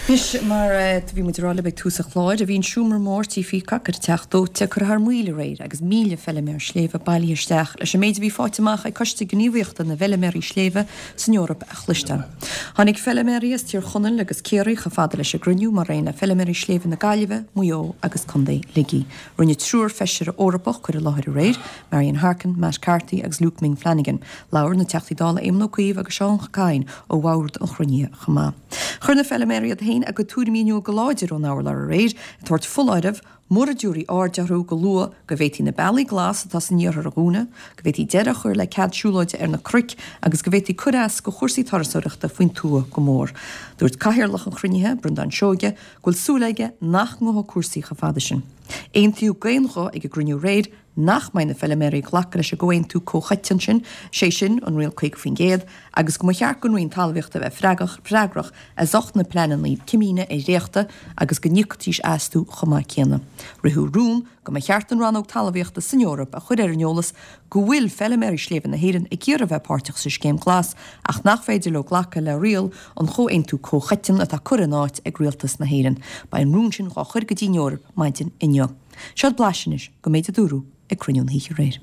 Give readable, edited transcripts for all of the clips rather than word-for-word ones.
Anois, mar a bhí muid ag rá libh ag tús an chláir, bhí an seomra mór Tí Peacock ar an Teach Dóite curtha thar maoil aréir agus 1,000 feiliméar sléibhe bailithe isteach leis an méid a bhí faighte amach ag Coiste Gníomhaíochta na bhFeiliméaraí Sléibhe san Eoraip a chloisteáil. Tháinig feiliméaraí as Tír Chonaill agus Ciarraí chomh fada leis an gcruinniú mar aon le feiliméaraí sléibhe na Gaillimhe, Maigh Eo agus Contae Shligigh. Rinne triúr feisire Eorpach cur i láthair aréir, Marian Harkin, Matt Carthy agus Luke Ming Flanagan. Labhair na Teachtaí Dála Éamon Ó Cuív agus Seán Kyne ó bhord an chruinnithe chomh maith. Chuir na feiliméaraí iad féin a gcuid tuairimí in iúl go láidir ón urlár aréir, ag tabhairt foláireamh, mura dtabharfaí aird orthu go luath, go bhféadfaí na bealaí glas atá san iarthar a dhúnadh, go bhféadfaí deireadh a chur le cead siúlóide ar na cnoic agus go bhféadfaí cur as go chúrsaí turasóireachta faoin tuath go mór. Dúirt cathaoirleach an chruinnithe, Breandán Seoige, go bhfuil súil aige nach ngabhfaidh cúrsaí chomh fada sin. Aontaíodh d'aon ghuth ag an gcruinniú aréir nach mbeidh na feiliméaraí ag glacadh leis an gcomhaontú comhchoiteann sin, sé sin, an riail 50%, agus go mba cheart don Roinn Talmhaíochta a bheith freagrach as ucht na pleananna cimíne a dhréachtadh agus go n-íocfaidís astu chomh maith céanna. Ritheadh rún go mba cheart an Rannóg Talmhaíochta san Eoraip a chur ar an eolas go bhfuil feiliméaraí sléibhe na hÉireann ag iarraidh a bheith páirteach sa Scéim Glas ach nach féidir leo glacadh le riail an chomhaontú comhchoiteann atá curtha in áit ag Rialtas na hÉireann. Beidh an rún sin dhá chur go dtí an Eoraip maidin inniu. Seo blaiseadh anois den méid a dúradh ag cruinniú na hoíche aréir.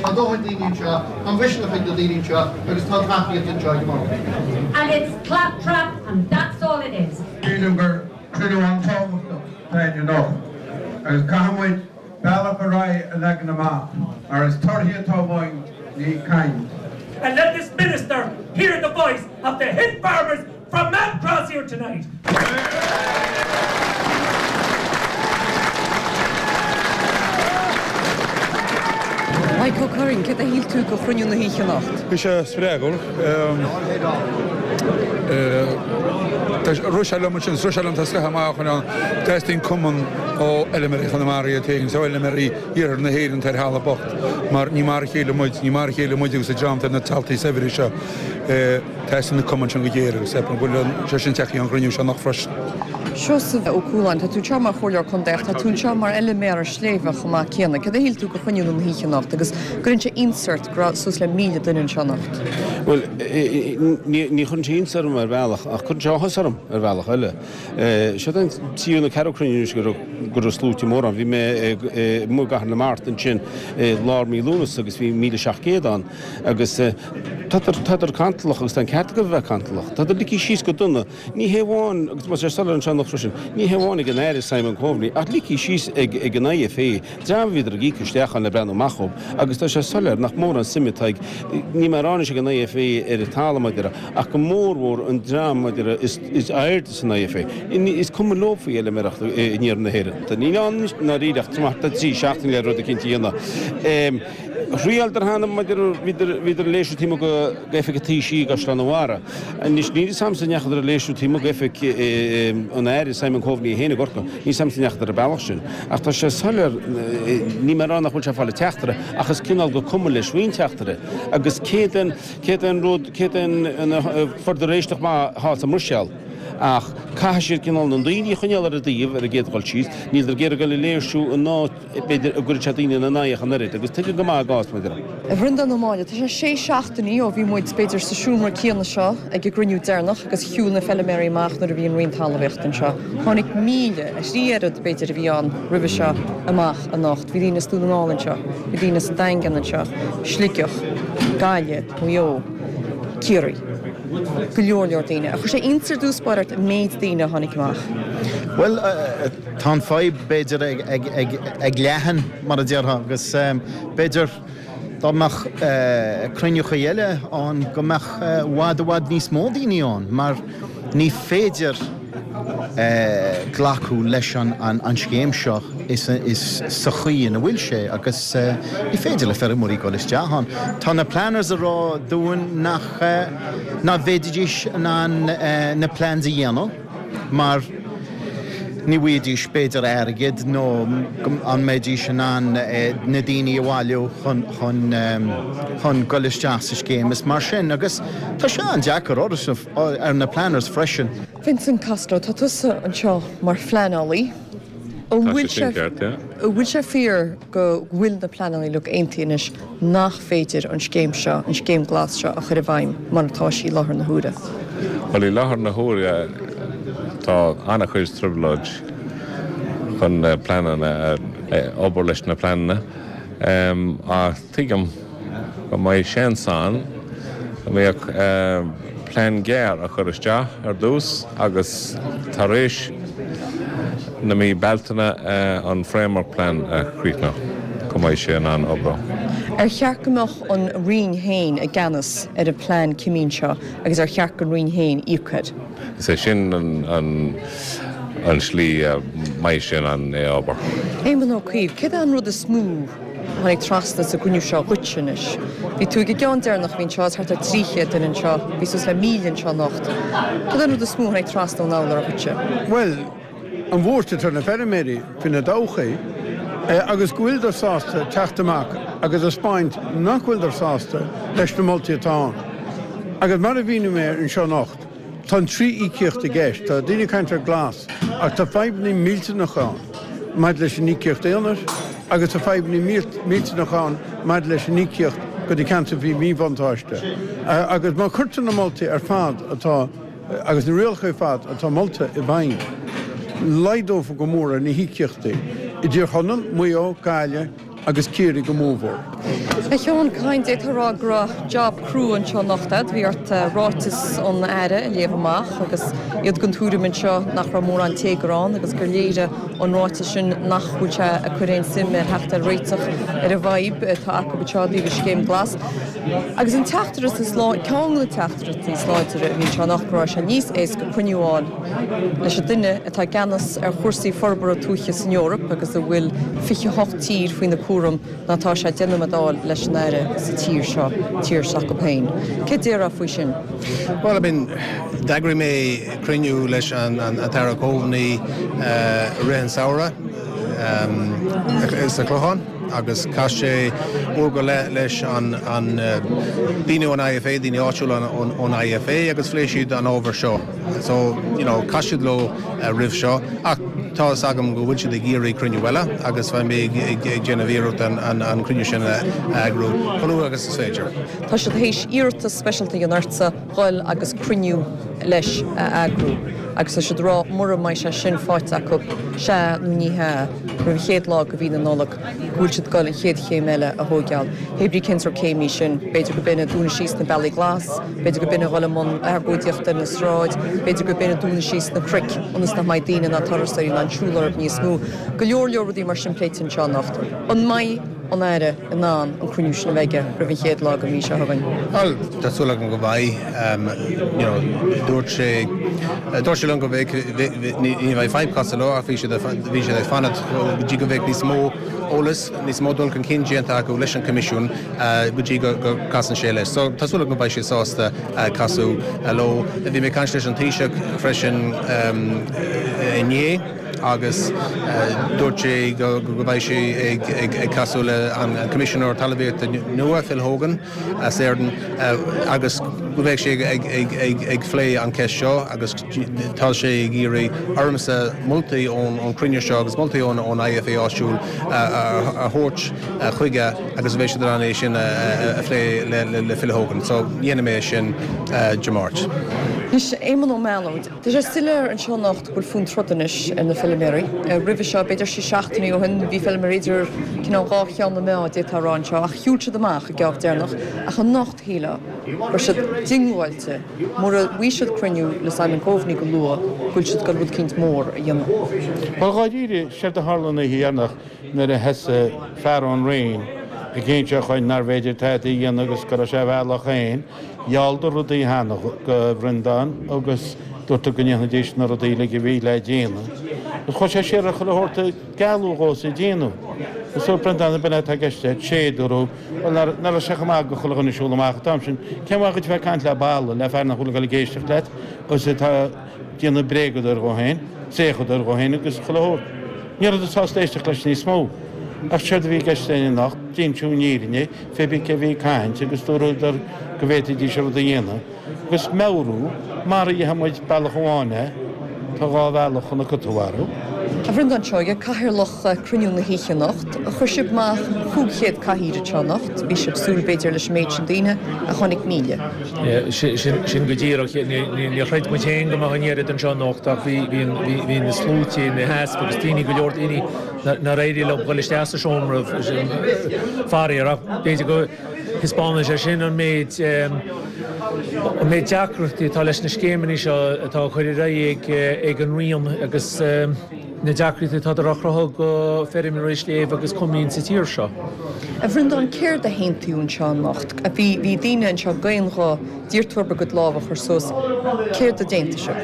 Tá dóthain daoine anseo, tá misneach ag na daoine anseo agus tá tacaíocht anseo ag an mbord. And it's claptrap and that's all it is. Sílim gur cruinniú an-tábhachtach atá ann anocht agus caithfidh muid bealach ar aghaidh a leagan amach mar is torthaí atá uainn, ní caint. And let this Minister hear the voice of the hill farmers From Matt Cross here tonight. Mike Ó Curraoin, céard a shíl tú de chruinniú na hoíche anocht? Bhí sé spreagúil. Rith sé liom ansin, rith sé liom tá scoth amach ann. Teastaíonn cumann ó fheilméaraí Chonamara iad féin, ó fheilméaraí iarthar na hÉireann ar thalamh bocht, mar ní mar a chéile muid, ní mar a chéile muid agus an dream atá ar na taltaí saibhre seo. Teastaíonn na cumainn sin go géar agus ceapaim go bhfuil sé sin tagtha ón gcruinniú seo anocht freisin. Seosamh Ó Cualáin, tá tú anseo mar Chomhairleoir Contae ach tá tú anseo mar fheiliméara sléibhe chomh maith céanna. Céard a shíl tú de chruinniú na hoíche anocht agus gcuireann sé iontas ort go raibh suas le 1,000 duine anseo anocht? Bhuel, ní chuireann sé iontas orm ar bhealach ach cuireann sé áthas orm ar bhealach eile. Seo an tríú nó ceathrú cruinniú anois go raibh sluaite móra ann. Bhí mé amuigh i gCathair na Mart ansin i lár mí Lúnasa agus bhí 1,700 ann. Agus tádar cantalach, agus tá an ceart acu a bheith cantalach. Tádar ligthe síos go dona, ní hé amháin, agus tá sé soiléir anseo anocht freisin, ní hé amháin ag an Aire Simon Coveney, ach ligthe síos ag an IFA, dream a bhíodar ag íoc isteach ann le breathnú amach dhóibh, agus tá sé soiléir nach mórán suime atá ag, níl mé ag rá anois ag an IFA ar an talamh, mar a déarfá, ach go mórmhór an dream, mar a déarfá, is airde san IFA. Is cuma leo faoi fheilméaracht in iarthar na hÉireann. Níl ann anois ndáiríre ach thart ar thrí seachtaine le rud eicínt a dhéanamh. Thriaileadar cheana maidir bhíodar ag léirsiú taobh amuigh d'oifig an Taoisigh i gCaisleán an Bharraigh. Anois níl 'fhios a'msa an ndeachadar ag léirsiú taobh amuigh d'oifig an Aire Simon Coveney é féin i gCorcaigh. Níl 'fhios a'msa an ndeachadar an bealach sin. Ach tá sé soiléir, níl mé ag rá nach bhfuil sé ag fáil an teachtaire ach is cineál gur cuma leis faoin teachtaire. Agus céard é an, céard é an rud, céard é an, fuaireadar éisteacht maith thall sa mBruiséil. Ach caithfidh siad cineál na daoine a choinneáil ar a dtaobh ar an gcéad dhul síos. Níleadar ag iarraidh dul ag léirsiú in áit, b'fhéidir, a gcuirfeadh sé daoine ina n-aghaidh ach an oiread, agus tuigim go maith a gcás, mar a déarfá. A Bhreandáin Ó Máille, tá sé sé seachtainí ó bhí muid, b'fhéidir, sa seomra céanna seo ag an gcruinniú deireanach agus shiúil na feiliméaraí amach nuair a bhí an Roinn Talmhaíochta anseo. Tháinig 1,000, a thrí oiread, b'fhéidir, a bhí ann roimhe seo, amach anocht. Bhí daoine as Dún na nGall anseo, bhí daoine as an Daingean anseo, Sligeach, Gaillimh, Maigh Eo, Ciarraí. Go leor leor daoine. Ar chuir sé iontas ar dtús báire ort an méid daoine a tháinig amach? Bhuel, Tá an fadhb, b'fhéidir, ag leathan, mar a déarfá, agus b'fhéidir dá mbeadh cruinniúchaí eile ann go mbeadh i bhfad i bhfad níos mó daoine ann mar ní féidir glacadh leis an scéim seo sa chaoi ina bhfuil sé agus ní féidir le feirmeoirí dul isteach ann. Tá na planners ag rá dúinn nach nach bhféadfaidís in ann na plans a dhéanamh. mar ní bhfaighidís b'fhéidir airgead nó an mbeidís in ann na daoine a bhailiú chun chun chun dul isteach sa scéim is mar sin agus tá sé an-deacair ar na planners freisin. Vincent Costello, tá tusa anseo mar phleanálaí. An bhfuil sé ceart, yeah. An bhfuil sé fíor go bhfuil na pleananna uilig aontaithe anois nach féidir an scéim seo, an scéim glas seo a chur i bhfeidhm mar atá sí i láthair na huaire? Bhuel, i láthair na huaire tá an-chuid trioblóid chun na pleananna, obair leis na pleananna. Ach tuigim go mbeidh seans ann go mbeadh plean gearr a chur isteach ar dtús agus tar éis na mí Bealtaine an framework plan a chríochnú go mbeidh sé in ann oibriú. Ar cheart go mbeadh an Roinn féin i gceannas ar an bplean cimín seo agus ar cheart don Roinn féin íoc air? Is é sin an slí a mbeidh sé in ann é a obair. Éamon Ó Cuív, céard é an rud is mó a tháinig trasna sa gcruinniú seo dhuitse anois? Bhí tú ag an gceann deireanach a bhí anseo, is thart ar 300 duine anseo, bhí suas le 1,000 anseo anocht. Céard é an rud is mó a tháinig trasna ón urlabhra dhuitse? Bhuel, an bhuairt atá ar na feirmeoirí faoina dtodhchaí agus go bhfuileadar sásta teacht amach agus a 'speáint nach bhfuileadar sásta leis na moltaí atá ann. Agus mar a mhínigh mé anseo anocht, tá an trí íocaíocht i gceist. Tá daoine ag caint ar glas ach tá fadhbanna millteanacha ann maidir leis an íocaíocht aonair agus tá fadhbanna millteanacha ann maidir leis an íocaíocht go na ceantair faoi mhíbhuntáiste. Agus má chuirtear na moltaí ar fad atá agus na rialacha ar fad atá molta i bhfeidhm, laghdófar go mór ar na híocaíochtaí i dTír Chonaill, Maigh Eo, Gaillimh agus Ciarraí go mórmhór. A Sheáin Kyne, d'fhéadfá a rá go raibh job crua anseo anocht agat. Bhí ort ráiteas an Aire a léamh amach agus iad den tuairim anseo nach raibh mórán téagar ann agus gur léirigh an ráiteas sin nach bhfuil sé ag cur aon suim ar theacht ar réiteach ar an bhfadhb atá acu anseo i dtaobh an scéim glas. Agus an teachtaireacht is lá, ceann de na teachtaireachtaí is láidre a bhí anseo anocht go raibh sé níos éasca cruinniú a fháil leis an duine atá i gceannas ar chúrsaí forbartha tuaithe san Eoraip agus a bhfuil 28 tír faoina cúram ná atá sé déanamh a d'fháil leis an Aire sa tír seo, tír s'acu féin. Céard déarfá faoi sin? Bhuel, I mean, d'eagraigh mé cruinniú leis an tAire Coveney i rith an samhradh sa Chlochán. agus chas sé uair go leith leis an daoine ón IFA, daoine áitiúla ón IFA agus phléigh siad an ábhar seo. So, you know, chas siad leo roimh seo ach tá fhios agam go bhfuil siad ag iarraidh cruinniú eile agus beidh mé ag déanamh iarracht an cruinniú sin a eagrú chomh luath agus is féidir. Tá siad théis iarratas speisialta a dhéanamh ortsa dhul agus cruinniú leis a eagrú agus tá siad ag rá mura mbeidh sé sin faighte acu, sea nó ní hea, roimh an chéad lá de mhí na Nollag go bhfuil siad ag dul an chéad chéim eile a thóigeáil. Hé brí cén sórt céim í sin? B'fhéidir go b'in ag dúnadh síos na bealaí glas, b'fhéidir go b'in a dhul i mbun argóidíochta ar na sráid, b'fhéidir go b'in ag dúnadh síos na cnoic ionas nach mbeidh daoine ná turasóirí in ann siúl orthu níos mó. Go leor leor rudaí mar sin pléite anseo anocht. An mbeidh an Aire in ann an cruinniú sin a bheith aige roimh an chéad lá den mhí seo chugainn? Bhuel, tá súil agam go mbeidh. You know, dúirt sé, dúirt sé liom go mbeidh, ní bheidh fadhb casadh leo ach bhí siad, bhí siad ag fanacht go dtí go mbeidh níos mó eolas, níos mó dul chun cinn déanta acu leis an Coimisiún go dtí go gcasann sé leis. So, tá súil agam go mbeidh sé sásta casadh leo. Bhí mé ag caint leis an Taoiseach freisin inné. agus dúirt sé go mbeidh sé ag casadh le an Coimisinéir Talmhaíochta nua, Phil Hogan as Éirinn, agus go mbeidh sé ag phlé an cheist seo agus tá sé ag iarraidh ormsa moltaí ón chruinniú seo agus moltaí ón IFA áitiúil a thabhairt chuige agus beidh siad in ann é sin a phlé le Phil Hogan. So dhéanfaidh mé é sin Dé Máirt. Anois, Éamonn Ó Mealóid. Tá sé soiléir anseo anocht go bhfuil fonn troda anois ar na feilméaraí. Roimhe seo, b'fhéidir sé seachtainí ó shin, bhí feilméaraí idir cineál dhá cheann na meá, d'fhéadfá a rá anseo, ach shiúil siad amach an geábh deireanach. Ach anocht, shílfeá go raibh siad diongbháilte, mura bhfaighidh siad cruinniú le Simon Coveney go luath, go bhfuil siad ag dul rud eicínt mór a dhéanamh. Bhuel, dháiríre, séard a tharla an oíche dheireanach nuair a thosaigh fear ón Roinn ag inse chugainn nárbh fhéidir tada a dhéanamh agus go raibh sé a bhealach féin, Ghealladar rudaí cheana do Bhreandán agus dúradar go ndéanfaidís na rudaí uilig a bhí le déanamh. Agus chuaigh sé siar ar chuile shórt a gealladh dhó is a déanamh. Agus dúirt Breandán ab in é atá i gceist agat? Sé, dúradh. Bhuel, nach raibh sé chomh maith do chuile dhuine siúl amach an t-am sin. Cén mhaith dhuit bheith ag caint le balla, le fear nach bhfuil ag dul ag éisteacht leat agus atá ag déanamh bréagadóir dhó féin, saochadóir dhó féin agus chuile shórt. Ní rabhadar sásta éisteacht leis níos mó. Ach séard a bhí i gceist linn anocht, d'inseadh an fhírinne, Fé bith cé bhí ag caint agus dúradar go bhféadfaidís rud a dhéanamh agus meabhrú mar a dhéanfaidh muid bealach amháin é. Tá 2 bhealach chun an cat a mharú. A Bhreandáin Seoighe, Cathaoirleach cruinniú na hoíche anocht. Chuir sibh amach 500 cathaoir anseo anocht. Bhí sibh ag súil b'fhéidir leis an méid sin daoine ach tháinig 1,000. Sin go díreach. Níor chreid muid féin go mbeadh an oiread anseo anocht ach bhí na sluaite ina sheasamh agus daoine, go leor daoine nár éirigh leo dul isteach sa seomra, faraor. Ach b'fhéidir go thaispeánann sé sin an méid an méid deacrachtaí atá leis na scéimeanna seo atá á cur ar aghaidh ag an Roinn agus na deacrachtaí atá á chruthú go feirmeoirí sléibhe agus coimín sa tír seo. A Bhreandáin, céard a haontaíodh anseo anocht? Bhí bhí daoine anseo d'aon ghuth, d'iarr tú orthu a gcuid lámh a chur suas. Céard a d'aontaigh sibh?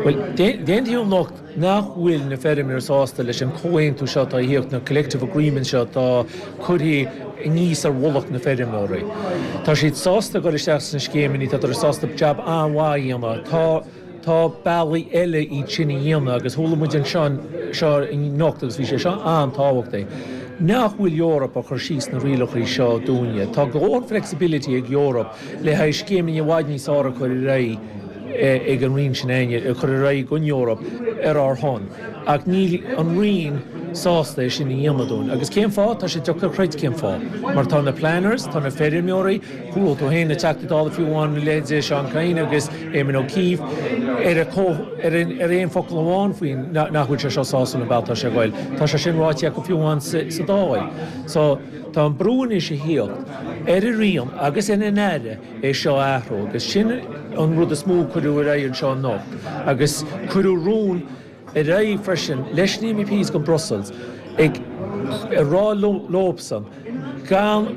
Bhuel, d'aontaíodh anocht nach bhfuil na feirmeoirí sásta leis an chomhaontú seo atá a thíocht, na collective agreement seo atá curtha aníos ar mhullach na feirmeoirí. Tá siad sásta dul isteach sna scéimeanna, tá sásta jab an-mhaith a dhéanamh. Tá tá bealaí eile iad sin a dhéanamh agus chuala muid anseo seo anocht agus bhí sé seo an-tábhachtach nach bhfuil Europe ag cur síos na rialacha seo dúinne. Tá go leor flexibility ag Europe le haghaidh scéimeanna i bhfad níos fearr a chur ar aghaidh ag an Roinn sin againne, a chur ar aghaidh don Eoraip ar ár shon. Ach níl an Roinn sásta é sin a dhéanamh dúinn. Agus cén fáth? Tá sé deacair a chreid cén fáth. Mar tá na planners, tá na feirmeoirí, chuala tú féin na Teachtaí Dála fiú amháin, a leithéid Seán Kyne agus Éamon O'Keefe, ar ar ar aon focal amháin faoi nach bhfuil sé seo sásúil an bealach atá sé ag goil. Tá sé sin ráite acu fiú amháin sa Dáil. So, tá an brú anois a thíocht ar an Roinn agus ar an Aire é seo a athrú agus sin an rud is mó a cuireadh ar aghaidh anseo anocht agus cuireadh rún ar aghaidh freisin leis na MEPs go Brussels ag rá leobsan gan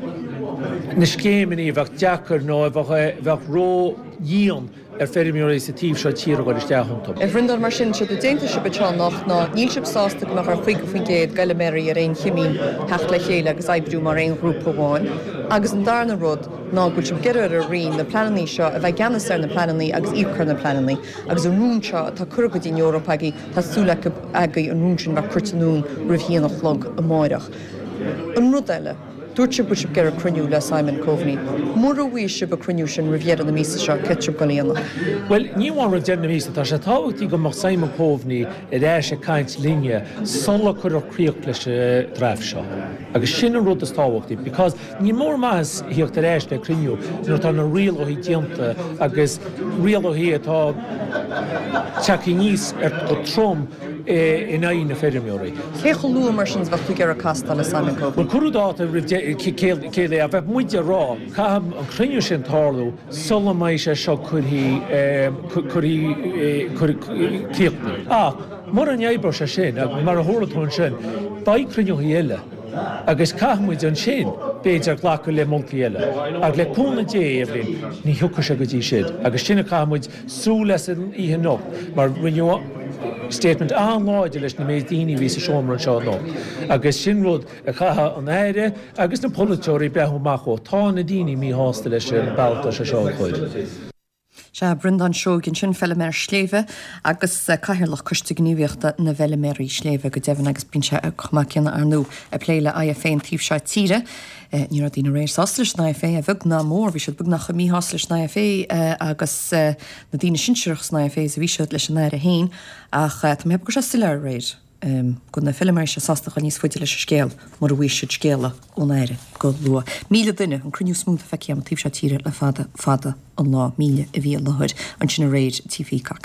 na scéimeanna a bheadh deacair nó a bheadh ró-dhian ar feirmeoirí sa taobh seo tíre a dhul isteach iontu. A Bhreandáin, mar sin, séard a d'aontaigh sibh anseo anocht ná níl sibh sásta go mbeadh ar 50% d'fheilméaraí ar aon chimín theacht le chéile agus oibriú mar aon ghrúpa amháin agus an darna rud ná go bhfuil sibh ag iarraidh ar an Roinn na pleanannaí seo a bheith i gceannas ar na pleanannaí agus íoc ar na pleanannaí agus an rún seo atá curtha go dtí an Eoraip agaibh tá súil acu agaibh an rún sin a bheith curtha anonn roimh haon a chlog amáireach. An rud eile. Dúirt sibh go bhfuil sibh ag iarraidh cruinniú le Simon Coveney. Mura bhfaighidh sibh an cruinniú sin roimh dheireadh na míosa seo, céard tá sibh ag dul a dhéanamh? Bhuel, ní amháin roimh deireadh na míosa, tá sé tábhachtach go mbeadh Simon Coveney ar ais ag caint linne sula cuirfear críoch leis an draft seo. Agus sin an rud is tábhachtaí because níl mórán maitheas thíocht ar ais le cruinniú nuair atá na rialacha déanta agus rialacha atá tagtha aníos ar go trom in aghaidh na feirmeoirí. Cé chomh luath mar sin is a bheadh tú ag iarraidh castáil le Simon Coveney? Bhuel, cuireadh dáta roimh céile ach bheadh muid ag rá, caithfidh an cruinniú sin tarlú sula mbeidh sé seo curtha, críochnaithe. Ach mura n-oibreoidh sé sin, mar a chuala tú ansin, beidh cruinniúthaí eile agus caithfidh muid ansin, b'fhéidir, glacadh le moltaí eile. Ach le cúnamh Dé, Eibhlín, ní thiocfaidh sé go dtí sin agus sin a caithfidh muid súil leis san oíche anocht mar rinneadh statement an-láidir leis na méid daoine a bhí sa seomra anseo anocht agus sin rud a chaithfidh an Aire agus na polaiteoirí breathnú amach ó. Tá na daoine míshásta leis an bealach atá sé seo á chur. Sea, Breandán Seoighe ansin, feiliméar sléibhe agus Cathaoirleach Coiste Gníomhaíochta na bhFeiliméaraí Sléibhe go deimhin agus bíonn sé chomh maith céanna ar ndóigh ag plé le IFA an taobh seo tíre. Ní raibh daoine aréir sásta leis an IFA, a bheag ná a mhór. Bhí siad beagnach chomh míshásta leis an IFA agus na daoine sinsearach san IFA is a bhí siad leis an Aire féin. Ach tá mé ag ceapadh go raibh sé soiléir aréir go bhfuil na feilméaraí seo sásta dul níos faide leis an scéal mura bhfaighidh siad scéala ón Aire go luath. 1,000 duine, an cruinniú is mó atá feicthe agam an taobh seo tíre le fada, fada an lá. 1,000 a bhí i láthair ansin aréir i Tigh Pheacock.